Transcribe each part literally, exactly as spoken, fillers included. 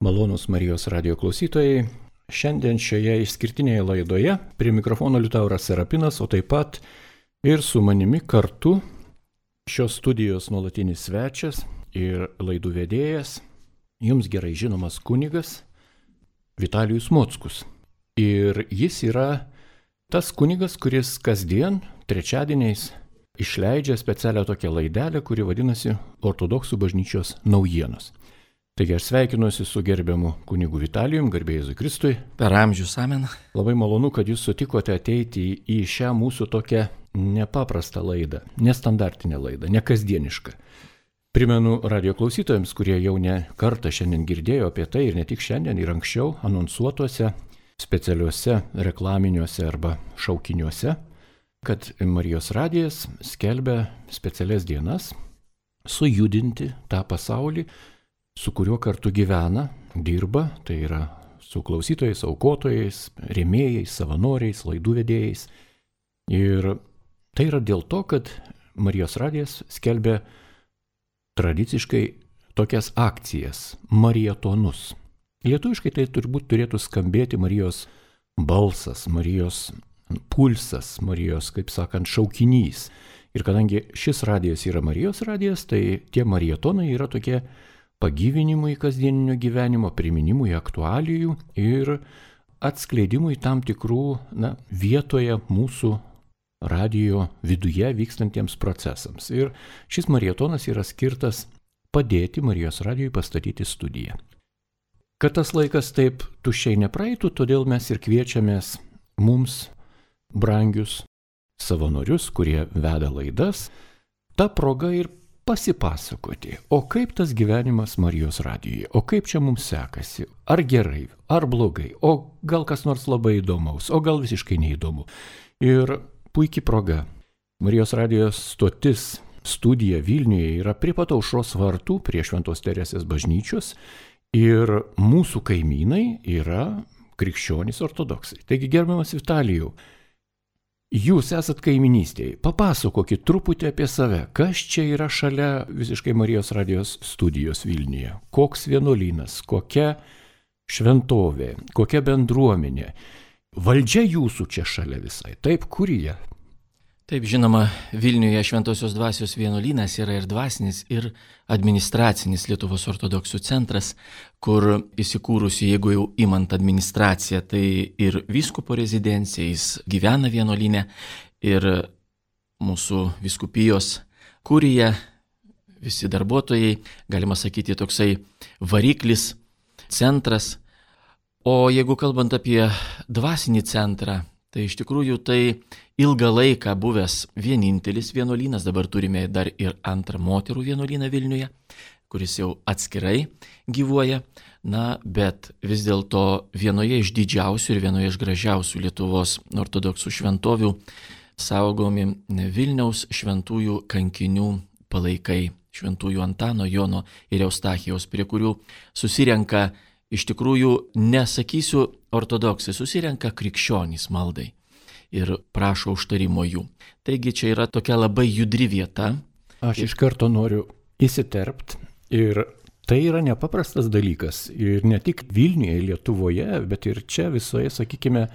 Malonūs Marijos radijo klausytojai, šiandien šioje išskirtinėje laidoje prie mikrofono Liutauras Serapinas, o taip pat ir su manimi kartu šios studijos nuolatinis svečias ir laidų vedėjas, jums gerai žinomas kunigas Vitalijus Mockus. Ir jis yra tas kunigas, kuris kasdien trečiadieniais išleidžia specialią tokią laidelę, kuri vadinasi Ortodoksų bažnyčios naujienos. Taigi aš sveikinuosi su gerbiamu kunigu Vitalijum, garbė Jėzui Kristui. Per amžius, amen. Labai malonu, kad jūs sutikote ateiti į šią mūsų tokią nepaprastą laidą, nestandartinę laidą, nekasdienišką. Primenu radio klausytojams, kurie jau ne kartą šiandien girdėjo apie tai ir ne tik šiandien, ir anksčiau anonsuotuose, specialiuose reklaminiuose arba šaukiniuose, kad Marijos radijas skelbia specialias dienas sujudinti tą pasaulį, su kuriuo kartu gyvena, dirba, tai yra su klausytojais, aukotojais, rėmėjais, savanoriais, laidų vedėjais. Ir tai yra dėl to, kad Marijos radijas skelbia tradiciškai tokias akcijas, marietonus. Lietuviškai tai turbūt turėtų skambėti Marijos balsas, Marijos pulsas, Marijos, kaip sakant, šaukinys. Ir kadangi šis radijas yra Marijos radijas, tai tie marietonai yra tokie pagyvinimui kasdieninio gyvenimo, priminimui aktualijų ir atskleidimui tam tikrų na, vietoje mūsų radijo viduje vykstantiems procesams. Ir šis marietonas yra skirtas padėti Marijos radijui pastatyti studiją. Kad tas laikas taip tuščiai nepraeitų, todėl mes ir kviečiamės mums brangius savanorius, kurie veda laidas, ta proga ir pasipasakoti, o kaip tas gyvenimas Marijos radijuje, o kaip čia mums sekasi, ar gerai, ar blogai, o gal kas nors labai įdomaus, o gal visiškai neįdomu. Ir puikiai proga. Marijos radijos stotis studija Vilniuje yra prie pat Aušros vartų, prie Šventos Teresės bažnyčios ir mūsų kaimynai yra krikščionys ortodoksai. Taigi, gerbiamas Vitalijau, jūs esat kaiminystėje, papasakokit truputį apie save, kas čia yra šalia visiškai Marijos radijos studijos Vilniuje, koks vienuolynas, kokia šventovė, kokia bendruomenė, valdžia jūsų čia šalia visai, taip, kur jie? Taip, žinoma, Vilniuje Šventosios dvasios vienuolynas yra ir dvasinis, ir administracinis Lietuvos ortodoksų centras, kur įsikūrusi, jeigu jau imant administraciją, tai ir vyskupo rezidencija, jis gyvena vienuolyne, ir mūsų vyskupijos kurija, visi darbuotojai, galima sakyti, toksai variklis, centras. O jeigu kalbant apie dvasinį centrą, tai iš tikrųjų tai ilgą laiką buvęs vienintelis vienuolynas, dabar turime dar ir antrą moterų vienuolyną Vilniuje, kuris jau atskirai gyvuoja, na, bet vis dėlto vienoje iš didžiausių ir vienoje iš gražiausių Lietuvos ortodoksų šventovių saugomi Vilniaus šventųjų kankinių palaikai, šventųjų Antano, Jono ir Eustachijaus, prie kurių susirenka, iš tikrųjų, nesakysiu ortodoksai, susirenka krikščionys maldai ir prašo užtarimo jų. Taigi čia yra tokia labai judri vieta. Aš iš karto noriu įsiterpt ir tai yra nepaprastas dalykas. Ir ne tik Vilniuje, Lietuvoje, bet ir čia visoje, sakykime,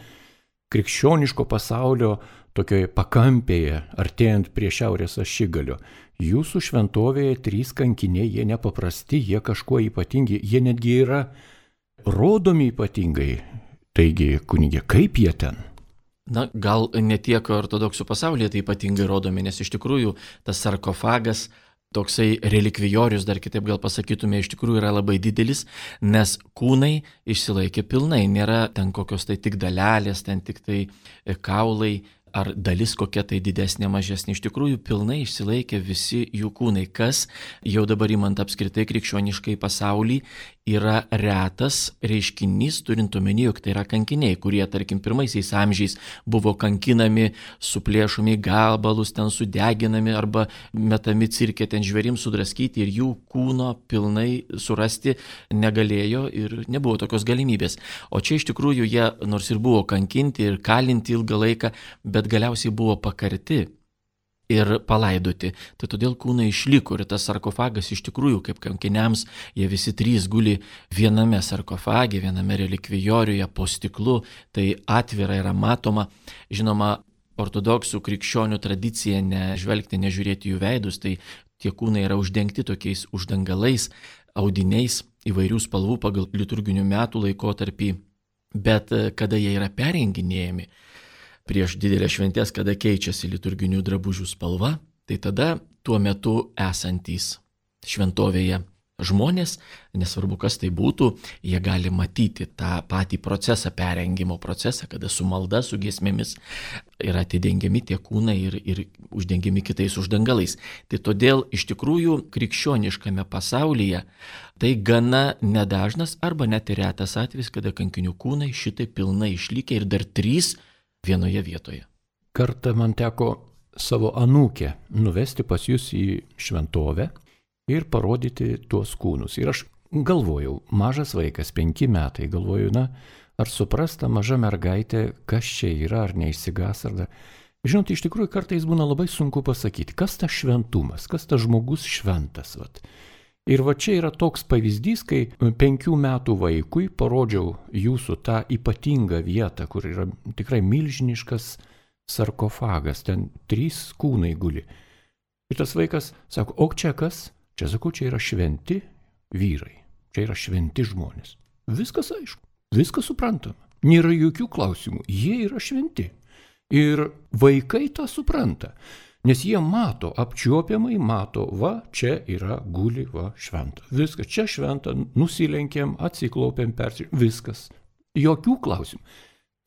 krikščioniško pasaulio tokioje pakampėje, artėjant prie šiaurės ašigalio. Jūsų šventovėje trys kankiniai, jie nepaprasti, jie kažkuo ypatingi, jie netgi yra rodomi ypatingai. Taigi, kunigė, kaip jie ten? Na, gal ne tiek ortodoksų pasaulyje tai ypatingai rodomi, nes iš tikrųjų tas sarkofagas, toksai relikvijorius, dar kitaip gal pasakytume, iš tikrųjų yra labai didelis, nes kūnai išsilaikė pilnai, nėra ten kokios tai tik dalelės, ten tik tai kaulai, ar dalis kokia tai didesnė, mažesnė, iš tikrųjų pilnai išsilaikė visi jų kūnai, kas jau dabar imant apskritai krikščioniškai pasaulį yra retas reiškinys, turint omeny, jog tai yra kankiniai, kurie, tarkim, pirmaisiais amžiais buvo kankinami, suplėšomi gabalus, ten sudeginami arba metami cirke, ten žvėrims sudraskyti ir jų kūno pilnai surasti negalėjo ir nebuvo tokios galimybės. O čia iš tikrųjų jie nors ir buvo kankinti ir kalinti ilgą laiką, bet galiausiai buvo pakarti. ir palaidoti. Tai todėl kūnai išliko ir tas sarkofagas iš tikrųjų kaip kankiniams, jie visi trys guli viename sarkofage, viename relikvijoriuje po stiklu, tai atvira yra matoma. Žinoma, ortodoksų krikščionių tradicija nežvelgti, nežiūrėti jų veidus, tai tie kūnai yra uždengti tokiais uždangalais, audiniais įvairių spalvų pagal liturginių metų laikotarpį, bet kada jie yra perenginėjami prieš didelės šventės, kada keičiasi liturginių drabužių spalva, tai tada tuo metu esantys šventovėje žmonės, nesvarbu kas tai būtų, jie gali matyti tą patį procesą, perengimo procesą, kada su malda, su giesmėmis yra atidengiami tie kūnai ir, ir uždengiami kitais uždangalais. Tai todėl iš tikrųjų krikščioniškame pasaulyje tai gana nedažnas arba net ir retas atvejis, kada kankinių kūnai šitai pilnai išlikę ir dar trys vienoje vietoje. Kartą man teko savo anūkę nuvesti pas jūs į šventovę ir parodyti tuos kūnus. Ir aš galvojau, mažas vaikas, penki metai, galvoju, na, ar suprasta maža mergaitė, kas čia yra, ar neišsigas, ar dar. Žinot, iš tikrųjų kartais būna labai sunku pasakyti, kas tas šventumas, kas tas žmogus šventas. Vat. Ir va čia yra toks pavyzdys, kai penkių metų vaikui parodžiau jūsų tą ypatingą vietą, kur yra tikrai milžiniškas sarkofagas, ten trys kūnai guli. Ir tas vaikas sako, o čia kas? Čia sakau, čia yra šventi vyrai, čia yra šventi žmonės. Viskas aišku, viskas suprantama, nėra jokių klausimų, jie yra šventi. Ir vaikai tą supranta, nes jie mato, apčiuopiamai mato, va, čia yra guli, va, šventa. Viskas, čia šventa, nusilenkėm, atsiklaupėm, persilenkėm, viskas. Jokių klausimų.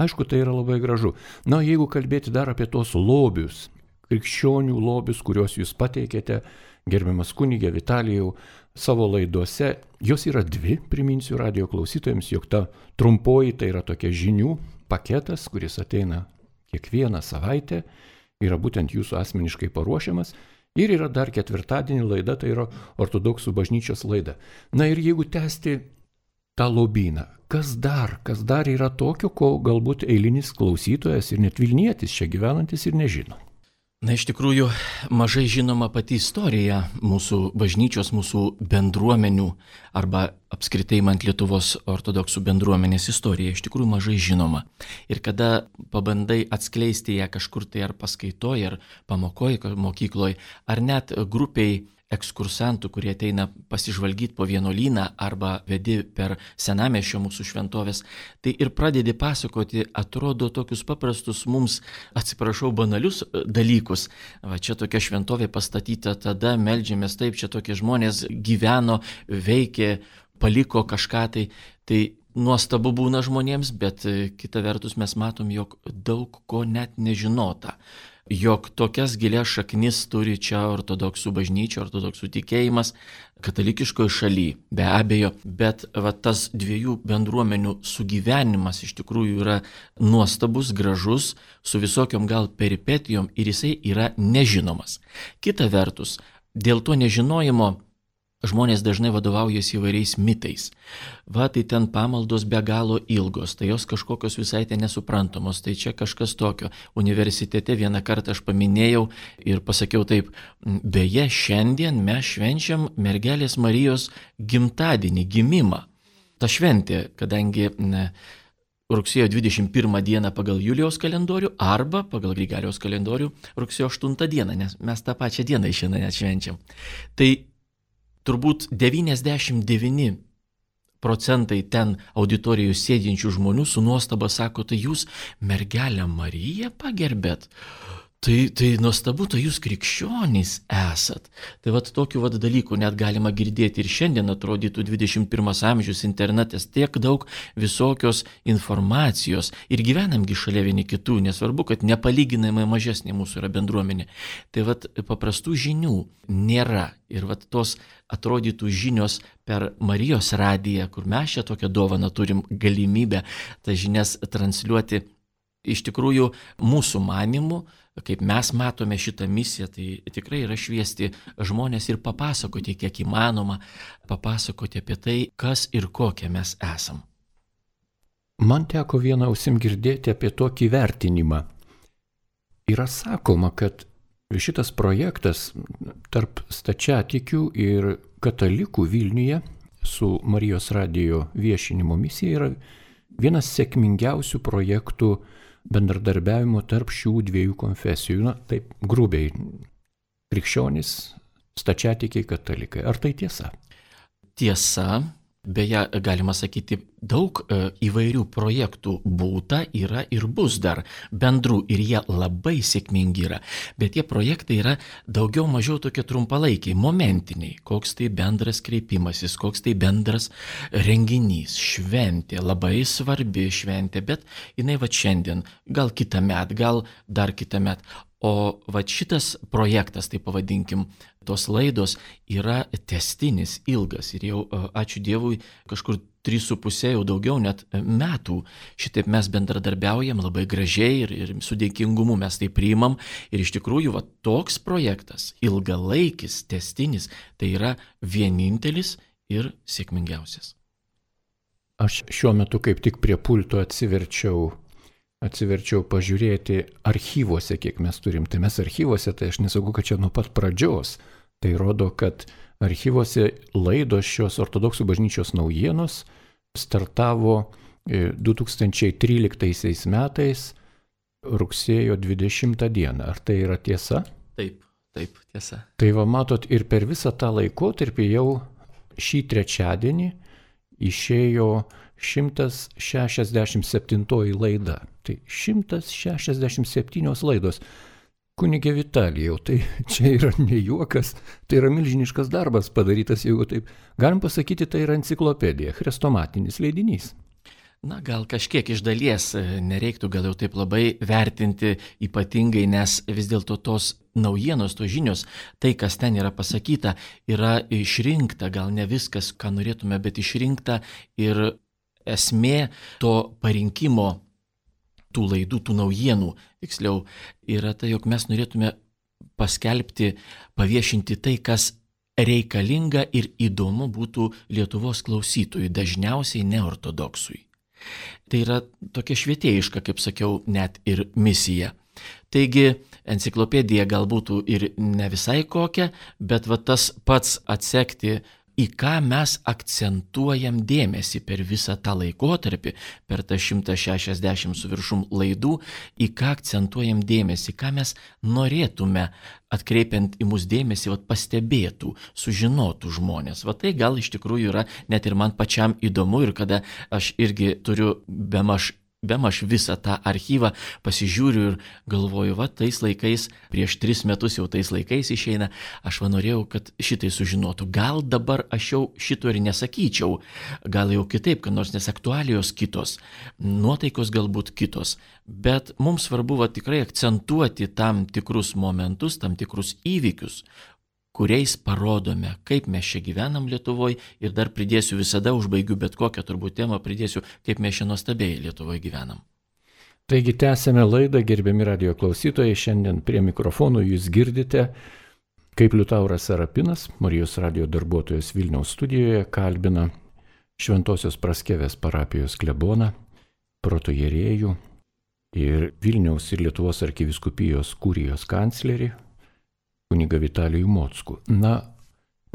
Aišku, tai yra labai gražu. Na, jeigu kalbėti dar apie tos lobius, krikščionių lobius, kuriuos jūs pateikėte, gerbiamas kunigė Vitalijau, savo laidose, jos yra dvi, priminsiu radijo klausytojams, jog ta trumpoji tai yra tokia žinių paketas, kuris ateina kiekvieną savaitę, yra būtent jūsų asmeniškai paruošiamas, ir yra dar ketvirtadienį laida, tai yra ortodoksų bažnyčios laida. Na ir jeigu tęsti tą lobyną, kas dar, kas dar yra tokio, ko galbūt eilinis klausytojas ir net Vilnietis čia gyvenantis ir nežino. Na, iš tikrųjų, mažai žinoma pati istorija mūsų bažnyčios, mūsų bendruomenių arba apskritai man Lietuvos ortodoksų bendruomenės istorija, iš tikrųjų mažai žinoma. Ir kada pabandai atskleisti ją kažkur tai ar paskaitoje, ar pamokoje, mokykloje, ar net grupiai ekskursantų, kurie ateina pasižvalgyti po vienuolyną arba vedi per senamiesčio mūsų šventovės, tai ir pradedi pasakoti, atrodo, tokius paprastus mums, atsiprašau, banalius dalykus. Va, čia tokia šventovė pastatyta, tada meldžiamės taip, čia tokie žmonės gyveno, veikė, paliko kažką tai. Tai nuostabu būna žmonėms, bet kita vertus mes matom, jog daug ko net nežinota. Jog tokias gilias šaknis turi čia ortodoksų bažnyčia, ortodoksų tikėjimas, katalikiškoje šalyje, be abejo, bet va, tas dviejų bendruomenių sugyvenimas iš tikrųjų yra nuostabus, gražus, su visokiom gal peripetijom ir jisai yra nežinomas. Kita vertus, dėl to nežinojimo žmonės dažnai vadovaujasi įvairiais mitais. Va, tai ten pamaldos be galo ilgos, tai jos kažkokios visai ten nesuprantamos, tai čia kažkas tokio. Universitete vieną kartą aš paminėjau ir pasakiau taip, beje, šiandien mes švenčiam mergelės Marijos gimtadienį, gimimą. Ta šventė, kadangi ne, rugsėjo dvidešimt pirmą dieną pagal Julijaus kalendorių arba pagal Grigaliaus kalendorių rugsėjo aštuntą dieną, nes mes tą pačią dieną šiandien atšvenčiam. Tai turbūt devyniasdešimt devyni procentai ten auditorijų sėdinčių žmonių su nuostaba sako, tai jūs mergelę Mariją pagerbėt. Tai, tai nuostabu, tai jūs krikščionys esat. Tai vat tokių vat dalykų net galima girdėti ir šiandien atrodytų dvidešimt pirmas amžius, internetas, tiek daug visokios informacijos ir gyvenamgi šalia vieni kitų, nesvarbu, kad nepalyginamai mažesnė mūsų yra bendruomenė. Tai vat paprastų žinių nėra ir vat tos atrodytų žinios per Marijos radiją, kur mes čia tokią dovaną turim galimybę tas žinias transliuoti. Iš tikrųjų, mūsų manimų, kaip mes matome šitą misiją, tai tikrai yra šviesti žmonės ir papasakoti, kiek įmanoma, papasakoti apie tai, kas ir kokie mes esam. Man teko vieną ausim girdėti apie tokį vertinimą. Yra sakoma, kad šitas projektas tarp stačiatikių ir katalikų Vilniuje su Marijos radijo viešinimo misija yra vienas sėkmingiausių projektų bendradarbiavimo tarp šių dviejų konfesijų. Na, taip grubiai, krikščionys, stačiatikiai, katalikai. Ar tai tiesa? Tiesa. Beje, galima sakyti, daug įvairių projektų būta, yra ir bus dar bendrų ir jie labai sėkmingi yra. Bet tie projektai yra daugiau mažiau tokie trumpalaikiai, momentiniai. Koks tai bendras kreipimasis, koks tai bendras renginys, šventė, labai svarbi šventė, bet jinai va šiandien, gal kitą metą, gal dar kitą metą. O va šitas projektas, tai pavadinkim, tos laidos yra tęstinis, ilgas ir jau, ačiū Dievui, kažkur trys su pusė jau daugiau net metų. Šitaip mes bendradarbiaujam labai gražiai ir, ir su dėkingumu mes tai priimam. Ir iš tikrųjų va toks projektas, ilgalaikis, tęstinis, tai yra vienintelis ir sėkmingiausias. Aš šiuo metu kaip tik prie pulto atsiverčiau atsiverčiau pažiūrėti archyvuose, kiek mes turim. Tai mes archyvuose, tai aš nesakau, kad čia nuo pat pradžios. Tai rodo, kad archyvuose laidos šios ortodoksų bažnyčios naujienos startavo du tūkstančiai tryliktaisiais metais rugsėjo dvidešimtą dieną. Ar tai yra tiesa? Taip, taip, tiesa. Tai va matot, ir per visą tą laikotarpį jau šį trečiadienį išėjo šimtas šešiasdešimt septintoji laida. Tai šimtas šešiasdešimt septynios laidos. Kunige Vitalijau, tai čia yra ne juokas, tai yra milžiniškas darbas padarytas, jeigu taip galim pasakyti, tai yra enciklopedija, chrestomatinis leidinys. Na, gal kažkiek iš dalies nereiktų gal jau taip labai vertinti ypatingai, nes vis dėlto tos naujienos, tos žinios, tai, kas ten yra pasakyta, yra išrinkta, gal ne viskas, ką norėtume, bet išrinkta ir esmė to parinkimo tų laidų, tų naujienų, tiksliau, yra tai, jog mes norėtume paskelbti, paviešinti tai, kas reikalinga ir įdomu būtų Lietuvos klausytojui, dažniausiai neortodoksui. Tai yra tokia švietėjiška, kaip sakiau, net ir misija. Taigi, enciklopedija gal būtų ir ne visai kokia, bet va tas pats atsekti, į ką mes akcentuojam dėmesį per visą tą laikotarpį, per tą šimtą šešiasdešimt su viršum laidų, į ką akcentuojam dėmesį, ką mes norėtume, atkreipiant į mus dėmesį, vat, pastebėtų, sužinotų žmonės. Va tai gal iš tikrųjų yra net ir man pačiam įdomu ir kada aš irgi turiu bemaž Bemaž visą tą archyvą pasižiūriu ir galvoju, va, tais laikais, prieš tris metus jau tais laikais išeina, aš va norėjau, kad šitai sužinotų. Gal dabar aš jau šito ir nesakyčiau, gal jau kitaip, kad nors nes aktualijos kitos, nuotaikos galbūt kitos, bet mums svarbu va tikrai akcentuoti tam tikrus momentus, tam tikrus įvykius, kuriais parodome, kaip mes čia gyvenam Lietuvoje ir dar pridėsiu visada, užbaigiu bet kokią turbūt temą, pridėsiu, kaip mes čia nuostabiai Lietuvoje gyvenam. Taigi tęsėme laidą, gerbiami radijo klausytojai, šiandien prie mikrofonų jūs girdite, kaip Liutauras Serapinas, Marijos radijo darbuotojas Vilniaus studijoje, kalbina Šventosios Praskevės parapijos kleboną, protojerėjų ir Vilniaus ir Lietuvos arkivyskupijos kurijos kanclerį, kunigą Vitalijų Mockų. Na,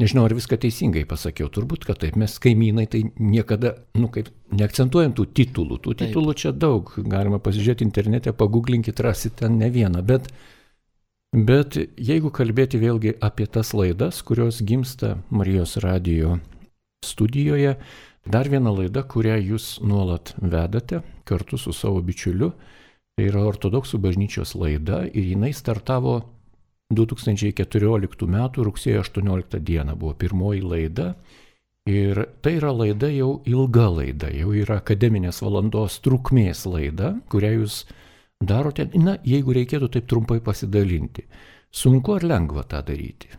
nežinau, ar viską teisingai pasakiau, turbūt, kad taip, mes kaimynai tai niekada, nu kaip, neakcentuojam tų titulų, tų taip. Titulų čia daug, galima pasižiūrėti internete, paguglinkit, rasite ten ne vieną, bet, bet jeigu kalbėti vėlgi apie tas laidas, kurios gimsta Marijos radijo studijoje, dar viena laida, kurią jūs nuolat vedate kartu su savo bičiuliu, tai yra Ortodoksų bažnyčios laida ir jinai startavo du tūkstančiai keturioliktų metų rugsėjo aštuonioliktą dieną buvo pirmoji laida ir tai yra laida jau ilga laida, jau yra akademinės valandos trukmės laida, kurią jūs darote, na, jeigu reikėtų taip trumpai pasidalinti. Sunku ar lengva tą daryti?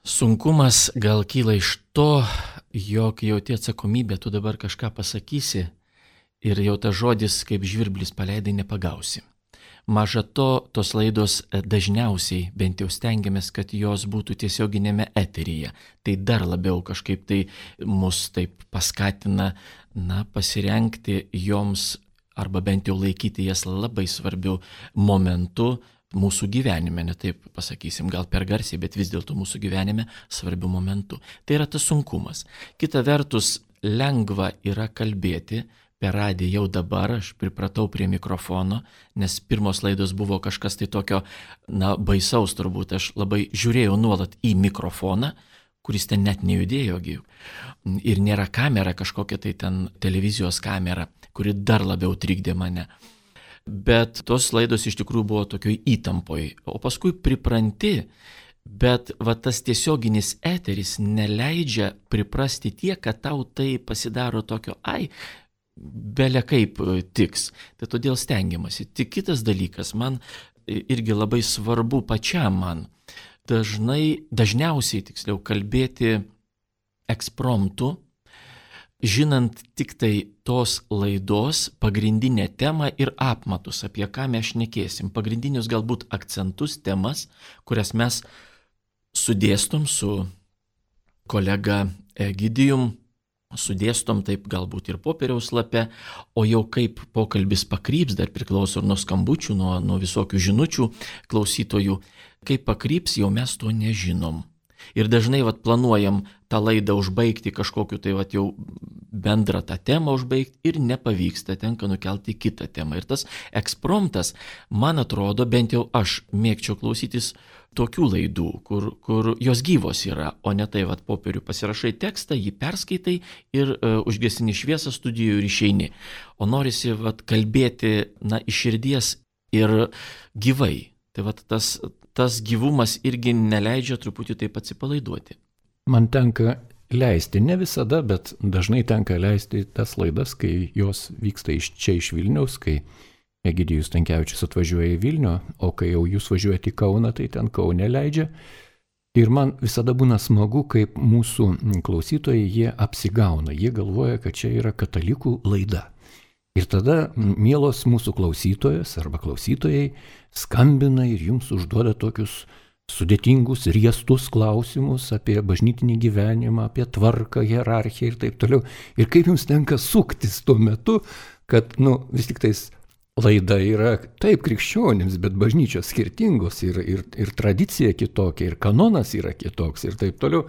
Sunkumas gal kyla iš to, jog jauti atsakomybę, tu dabar kažką pasakysi ir jau tas žodis kaip žvirblis paleidai nepagausi. Maža to, tos laidos dažniausiai, bent jau stengiamės, kad jos būtų tiesioginėme eteryje. Tai dar labiau kažkaip tai mus taip paskatina, na, pasirengti joms arba bent jau laikyti jas labai svarbiu momentu, mūsų gyvenime, ne taip pasakysim, gal per garsiai, bet vis dėlto mūsų gyvenime svarbių momentų. Tai yra tas sunkumas. Kita vertus, lengva yra kalbėti per radiją jau dabar, aš pripratau prie mikrofono, nes pirmos laidos buvo kažkas tai tokio, na, baisaus turbūt, aš labai žiūrėjau nuolat į mikrofoną, kuris ten net nejudėjo, ir nėra kamera kažkokia tai ten televizijos kamera, kuri dar labiau trikdė mane. Bet tos laidos iš tikrųjų buvo tokioj įtampoj, o paskui pripranti, bet va tas tiesioginis eteris neleidžia priprasti tiek, kad tau tai pasidaro tokio, ai, belia kaip tiks. Tai todėl stengiamasi. Tik kitas dalykas, man irgi labai svarbu pačiam man, dažnai, dažniausiai tiksliau kalbėti ekspromtu, žinant tik tai tos laidos pagrindinę temą ir apmatus, apie ką mes šnekėsim, pagrindinius galbūt akcentus, temas, kurias mes sudėstom su kolega Egidijum, sudėstom taip galbūt ir popieriaus lape, o jau kaip pokalbis pakryps, dar priklauso nuo skambučių, nuo, nuo visokių žinučių klausytojų, kaip pakryps, jau mes to nežinom. Ir dažnai vat, planuojam tą laidą užbaigti kažkokiu tai vat, jau bendrą tą temą užbaigti ir nepavyksta, tenka nukelti kitą temą. Ir tas ekspromtas, man atrodo, bent jau aš mėgčiau klausytis tokių laidų, kur, kur jos gyvos yra, o ne tai vat, popierių pasirašai tekstą, jį perskaitai ir uh, užgesini šviesą studijoje ir išeini. O norisi vat, kalbėti na, iš širdies ir gyvai. Tai vat, tas, tas gyvumas irgi neleidžia truputį taip atsipalaiduoti. Man tenka leisti, ne visada, bet dažnai tenka leisti tas laidas, kai jos vyksta iš čia iš Vilniaus, kai Egidijus Stankevičius atvažiuoja į Vilnių, o kai jau jūs važiuojate į Kauną, tai ten Kaune leidžia. Ir man visada būna smagu, kaip mūsų klausytojai jie apsigauna, jie galvoja, kad čia yra katalikų laida. Ir tada mielos mūsų klausytojas arba klausytojai skambina ir jums užduoda tokius sudėtingus, riestus klausimus apie bažnytinį gyvenimą, apie tvarką, hierarchiją ir taip toliau. Ir kaip jums tenka suktis tuo metu, kad, nu, vis tik tais laida yra taip krikščionims, bet bažnyčios skirtingos ir, ir, ir tradicija kitokia, ir kanonas yra kitoks ir taip toliau.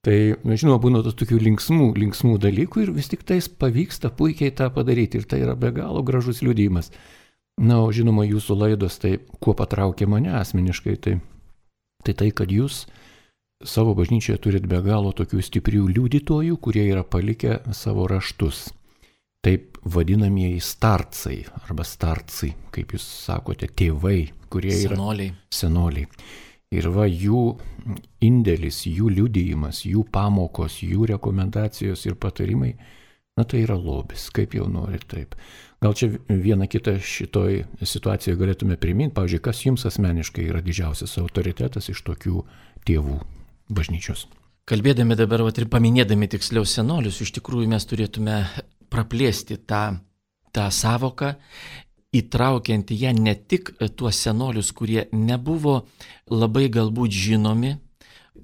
Tai, žinoma, būna tos tokių linksmų, linksmų dalykų ir vis tik tais pavyksta puikiai tą padaryti ir tai yra be galo gražus liudijimas. Na, o žinoma, jūsų laidos, tai kuo patraukė mane asmeniškai, tai tai, tai kad jūs savo bažnyčioje turit be galo tokių stiprių liudytojų, kurie yra palikę savo raštus. Taip vadinamieji starcai arba starcai, kaip jūs sakote, tėvai, kurie yra senoliai. senoliai. Ir va jų indėlis, jų liudijimas, jų pamokos, jų rekomendacijos ir patarimai, na tai yra lobis, kaip jau norit taip. Gal čia vieną kitą šitoj situacijoje galėtume priminti, pavyzdžiui, kas jums asmeniškai yra didžiausias autoritetas iš tokių tėvų bažnyčios? Kalbėdami dabar vat, ir paminėdami tiksliau senolius, iš tikrųjų mes turėtume praplėsti tą, tą savoką, įtraukiant ją ne tik tuos senolius, kurie nebuvo labai galbūt žinomi,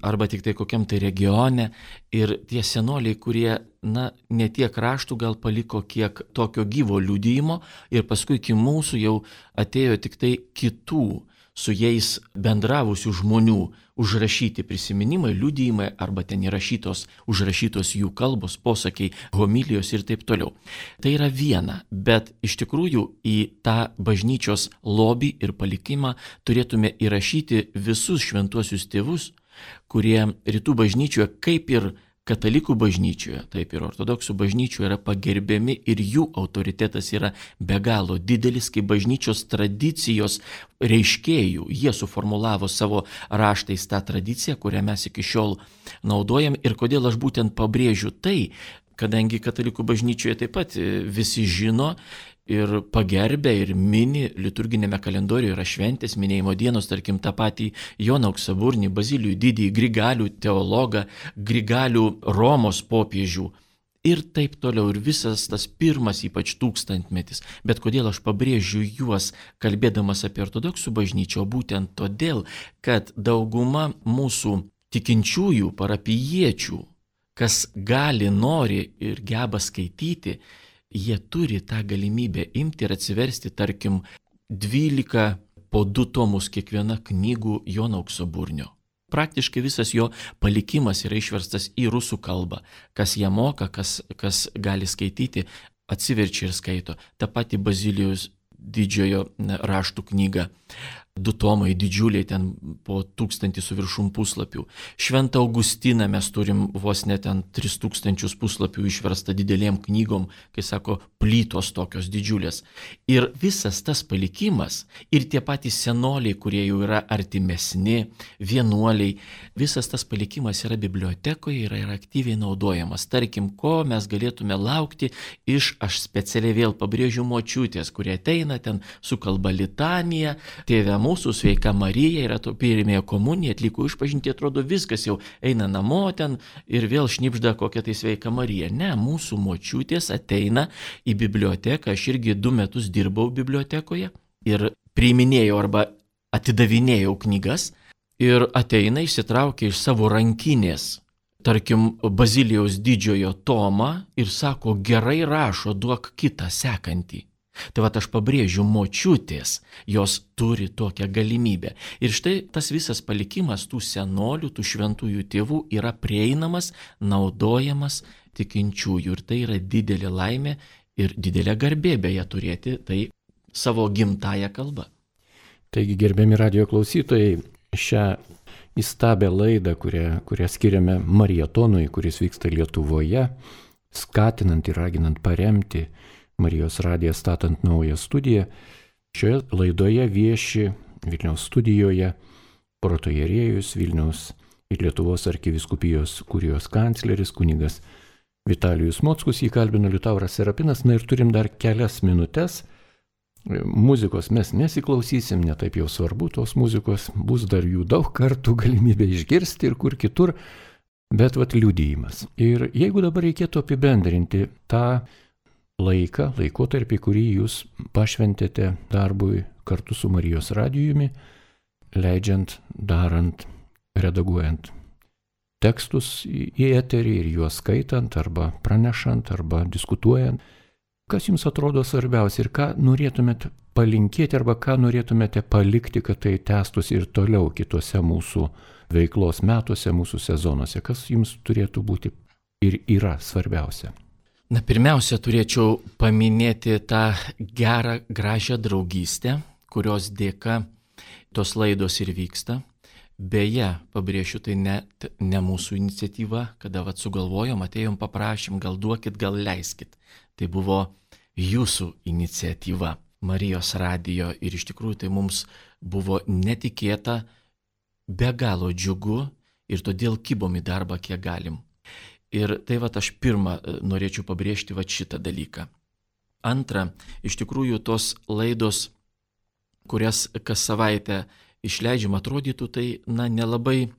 arba tik tai kokiam tai regione, ir tie senoliai, kurie, na, ne tiek raštų gal paliko, kiek tokio gyvo liudijimo, ir paskui iki mūsų jau atėjo tik tai kitų su jais bendravusių žmonių užrašyti prisiminimai, liudijimai arba ten įrašytos, užrašytos jų kalbos, posakiai, homilijos ir taip toliau. Tai yra viena, bet iš tikrųjų į tą bažnyčios lobį ir palikimą turėtume įrašyti visus šventuosius tėvus, kurie rytų bažnyčioje kaip ir katalikų bažnyčioje, taip ir ortodoksų bažnyčioje yra pagerbiami ir jų autoritetas yra be galo didelis, kaip bažnyčios tradicijos reiškėjų. Jie suformulavo savo raštais tą tradiciją, kurią mes iki šiol naudojam. Ir kodėl aš būtent pabrėžiu tai, kadangi katalikų bažnyčioje taip pat visi žino ir pagerbė ir mini, liturginėme kalendoriuje yra šventės, minėjimo dienos, tarkim, tą patį Joną Auksaburnį, Bazilijų didįjį, Grigalių teologą, Grigalių Romos popiežių ir taip toliau. Ir visas tas pirmas ypač tūkstantmetis. Bet kodėl aš pabrėžiu juos, kalbėdamas apie ortodoksų bažnyčią, būtent todėl, kad dauguma mūsų tikinčiųjų, parapijiečių, kas gali, nori ir geba skaityti, jie turi tą galimybę imti ir atsiversti, tarkim, dvylika po du tomus kiekviena knygų Jono Auksaburnio. Praktiškai visas jo palikimas yra išverstas į rusų kalbą. Kas ją moka, kas, kas gali skaityti, atsiverčia ir skaito. Ta pati Bazilijaus didžiojo raštų knyga. Du tomai didžiuliai, ten po tūkstantį su viršum puslapių. Šventą Augustiną mes turim vos net ten tris tūkstančius puslapių išversta didelėm knygom, kai sako, plytos tokios didžiulės. Ir visas tas palikimas, ir tie patys senoliai, kurie jau yra artimesni, vienuoliai, visas tas palikimas yra bibliotekoje ir yra aktyviai naudojamas. Tarkim, ko mes galėtume laukti iš, aš specialiai vėl pabrėžiu, močiutės, kurie ateina ten su kalba litanija, tėve mūsų, sveika Marija, yra to pirmėje komunija, atliko išpažinti, atrodo viskas jau eina namo ten ir vėl šnipžda kokia tai sveika Marija. Ne, mūsų močiutės ateina į biblioteką, aš irgi du metus dirbau bibliotekoje ir priiminėjau arba atidavinėjau knygas ir ateina, išsitraukia iš savo rankinės, tarkim, Bazilijaus didžiojo tomą ir sako, gerai rašo, duok kitą sekantį. Tai va aš pabrėžiu, močiutės, jos turi tokią galimybę. Ir štai tas visas palikimas tų senolių, tų šventųjų tėvų yra prieinamas, naudojamas tikinčiųjų. Ir tai yra didelė laimė ir didelė garbė beje turėti tai savo gimtąją kalbą. Taigi, gerbiami radijo klausytojai, šią įstabią laidą, kurią, kurią skiriame marietonui, kuris vyksta Lietuvoje, skatinant ir raginant paremti Marijos radiją statant naują studiją. Šioje laidoje vieši Vilniaus studijoje protoierėjus Vilniaus ir Lietuvos arkivyskupijos kurijos kancleris kunigas Vitalijus Mockus, jį kalbino Liutauras Serapinas. Na ir turim dar kelias minutės. Muzikos mes nesiklausysim, netaip jau svarbu tos muzikos, bus dar jų daug kartų galimybė išgirsti ir kur kitur, bet vat liudijimas. Ir jeigu dabar reikėtų apibendrinti tą laiką, laikotarpį, kurį jūs pašventėte darbui kartu su Marijos radijumi, leidžiant, darant, redaguojant tekstus į eterį ir juos skaitant arba pranešant arba diskutuojant. Kas jums atrodo svarbiausia ir ką norėtumėte palinkėti arba ką norėtumėte palikti, kad tai tęstųsi ir toliau kitose mūsų veiklos metuose, mūsų sezonuose? Kas jums turėtų būti ir yra svarbiausia? Na, pirmiausia, turėčiau paminėti tą gerą, gražią draugystę, kurios dėka tos laidos ir vyksta. Beje, pabrėšiu, tai ne, ne mūsų iniciatyva, kada vat sugalvojom, atėjom, paprašym, gal duokit, gal leiskit. Tai buvo jūsų iniciatyva, Marijos radijo, ir iš tikrųjų tai mums buvo netikėta, be galo džiugu ir todėl kibom į darbą, kiek galim. Ir tai va aš pirmą norėčiau pabrėžti va šitą dalyką. Antra, iš tikrųjų tos laidos, kurias kas savaitę išleidžiam, atrodytų tai, na, nelabai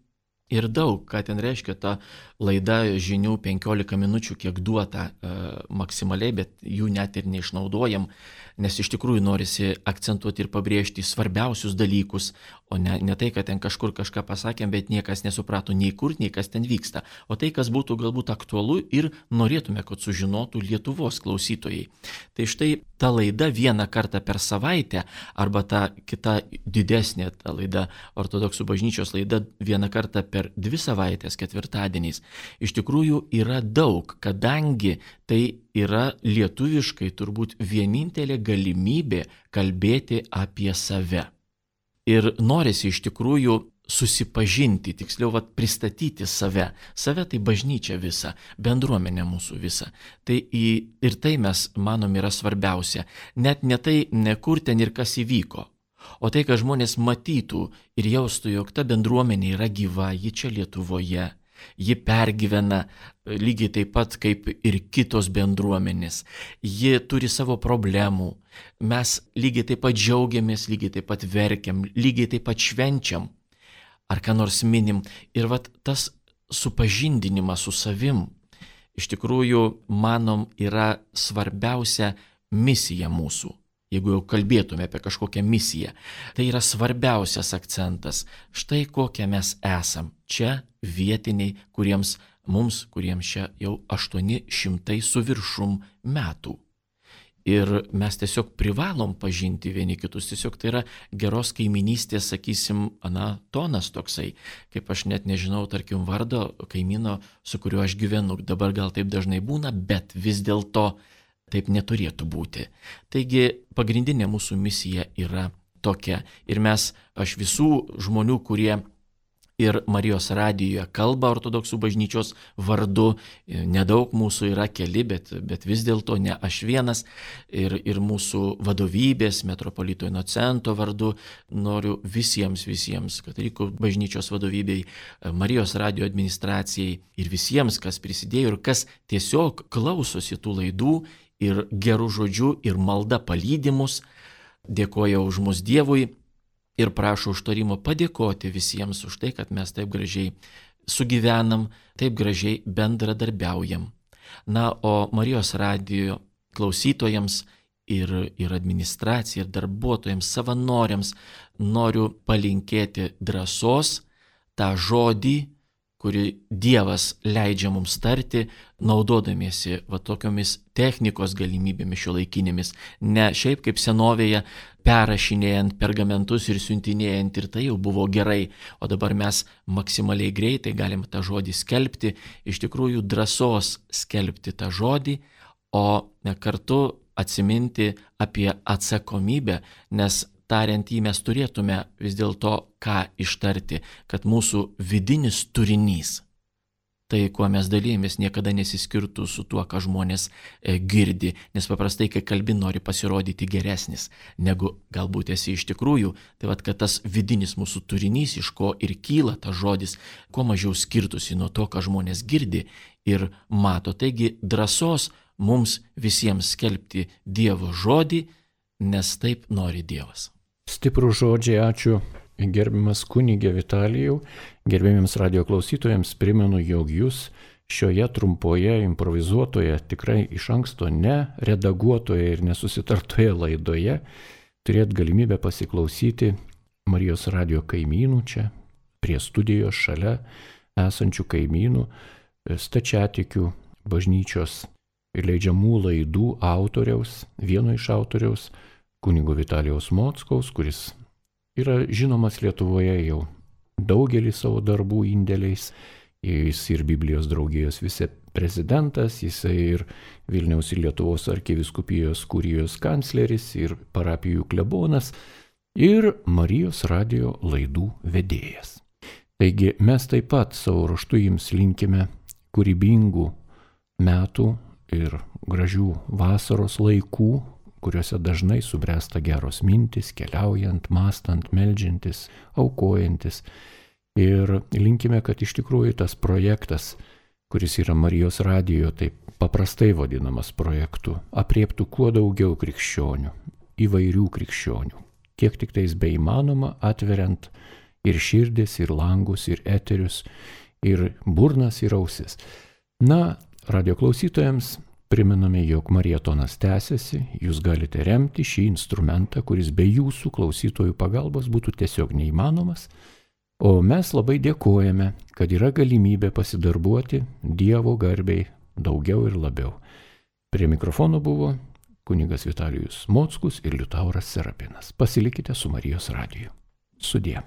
ir daug, ką ten reiškia ta laida žinių penkiolika minučių, kiek duota e, maksimaliai, bet jų net ir neišnaudojam, nes iš tikrųjų norisi akcentuoti ir pabrėžti svarbiausius dalykus, o ne, ne tai, kad ten kažkur kažką pasakėm, bet niekas nesuprato nei kur, nei kas ten vyksta, o tai, kas būtų galbūt aktualu ir norėtume, kad sužinotų Lietuvos klausytojai. Tai štai ta laida vieną kartą per savaitę, arba ta kita didesnė ta laida, ortodoksų bažnyčios laida vieną kartą per dvi savaitės, ketvirtadieniais, iš tikrųjų yra daug, kadangi tai yra lietuviškai turbūt vienintelė galimybė kalbėti apie save. Ir norisi iš tikrųjų susipažinti, tiksliau vat, pristatyti save. Save tai bažnyčia visa, bendruomenė mūsų visa. Tai į, ir tai mes manom yra svarbiausia. Net ne tai, ne kur ten ir kas įvyko, o tai, kad žmonės matytų ir jaustų, jog ta bendruomenė yra gyva, ji čia Lietuvoje. Ji pergyvena lygiai taip pat kaip ir kitos bendruomenės. Ji turi savo problemų. Mes lygiai taip pat džiaugiamės, lygiai taip pat verkiam, lygiai taip pat švenčiam. Ar ką nors minim. Ir vat tas supažindinimas su savim, iš tikrųjų, manom, yra svarbiausia misija mūsų. Jeigu jau kalbėtume apie kažkokią misiją, tai yra svarbiausias akcentas. Štai kokie mes esam. Čia vietiniai, kuriems, mums, kuriems čia jau aštuoni šimtai su viršum metų. Ir mes tiesiog privalom pažinti vieni kitus, tiesiog tai yra geros kaiminystės, sakysim, na, tonas toksai, kaip aš net nežinau, tarkim, vardo kaimyno, su kuriuo aš gyvenu, dabar gal taip dažnai būna, bet vis dėlto taip neturėtų būti. Taigi pagrindinė mūsų misija yra tokia. Ir mes, aš visų žmonių, kurie ir Marijos radijoje kalba ortodoksų bažnyčios vardu, nedaug mūsų yra keli, bet, bet vis dėlto ne aš vienas, ir, ir mūsų vadovybės, metropolito Inocento vardu, noriu visiems, visiems katalikų bažnyčios vadovybei, Marijos radijo administracijai ir visiems, kas prisidėjo ir kas tiesiog klausosi tų laidų ir gerų žodžių ir malda palydimus, dėkoja už mus Dievui. Ir prašau užtarimo padėkoti visiems už tai, kad mes taip gražiai sugyvenam, taip gražiai bendradarbiaujam. Na, o Marijos radijo klausytojams ir, ir administracijai, ir darbuotojams, savanoriams noriu palinkėti drąsos, tą žodį, kurį Dievas leidžia mums tarti, naudodamiesi va tokiomis technikos galimybėmis šiuolaikinėmis, ne šiaip kaip senovėje perrašinėjant pergamentus ir siuntinėjant, ir tai jau buvo gerai, o dabar mes maksimaliai greitai galim tą žodį skelbti, iš tikrųjų drąsos skelbti tą žodį, o kartu atsiminti apie atsakomybę, nes tariant jį mes turėtume vis dėlto ką ištarti, kad mūsų vidinis turinys, tai kuo mes dalymės, niekada nesiskirtų su tuo, ką žmonės e, girdi, nes paprastai, kai kalbi, nori pasirodyti geresnis, negu galbūt esi iš tikrųjų, tai vat, kad tas vidinis mūsų turinys, iš ko ir kyla tas žodis, kuo mažiau skirtųsi nuo to, ką žmonės girdi ir mato. Taigi drąsos mums visiems skelbti Dievo žodį, nes taip nori Dievas. Stiprų žodžiai, ačiū gerbiamas kunigė Vitalijau. Gerbiamiems radio klausytojams primenu, jog jūs šioje trumpoje, improvizuotoje, tikrai iš anksto neredaguotoje ir nesusitartoje laidoje turėt galimybę pasiklausyti Marijos radio kaimynų čia, prie studijos šalia esančių kaimynų, stačiatikių bažnyčios leidžiamų laidų autoriaus, vieno iš autoriaus, kunigo Vitalijaus Mockaus, kuris yra žinomas Lietuvoje jau daugelį savo darbų indėliais. Jis ir Biblijos draugijos viceprezidentas, jisai ir Vilniaus ir Lietuvos arkivyskupijos kurijos kancleris, ir parapijų klebonas, ir Marijos radio laidų vedėjas. Taigi mes taip pat savo ruožtu jums linkime kūrybingų metų ir gražių vasaros laikų, kuriuose dažnai subręsta geros mintis, keliaujant, mąstant, meldžiantis, aukojantis. Ir linkime, kad iš tikrųjų tas projektas, kuris yra Marijos radijo, taip paprastai vadinamas projektu, apriektų kuo daugiau krikščionių, įvairių krikščionių, kiek tik tais beįmanoma, atveriant ir širdis, ir langus, ir eterius, ir burnas, ir ausis. Na, radio klausytojams primename, jog marietonas tęsiasi, jūs galite remti šį instrumentą, kuris be jūsų klausytojų pagalbos būtų tiesiog neįmanomas, o mes labai dėkojame, kad yra galimybė pasidarbuoti Dievo garbei daugiau ir labiau. Prie mikrofono buvo kunigas Vitalijus Mockus ir Liutauras Serapinas. Pasilikite su Marijos radiju. Sudie.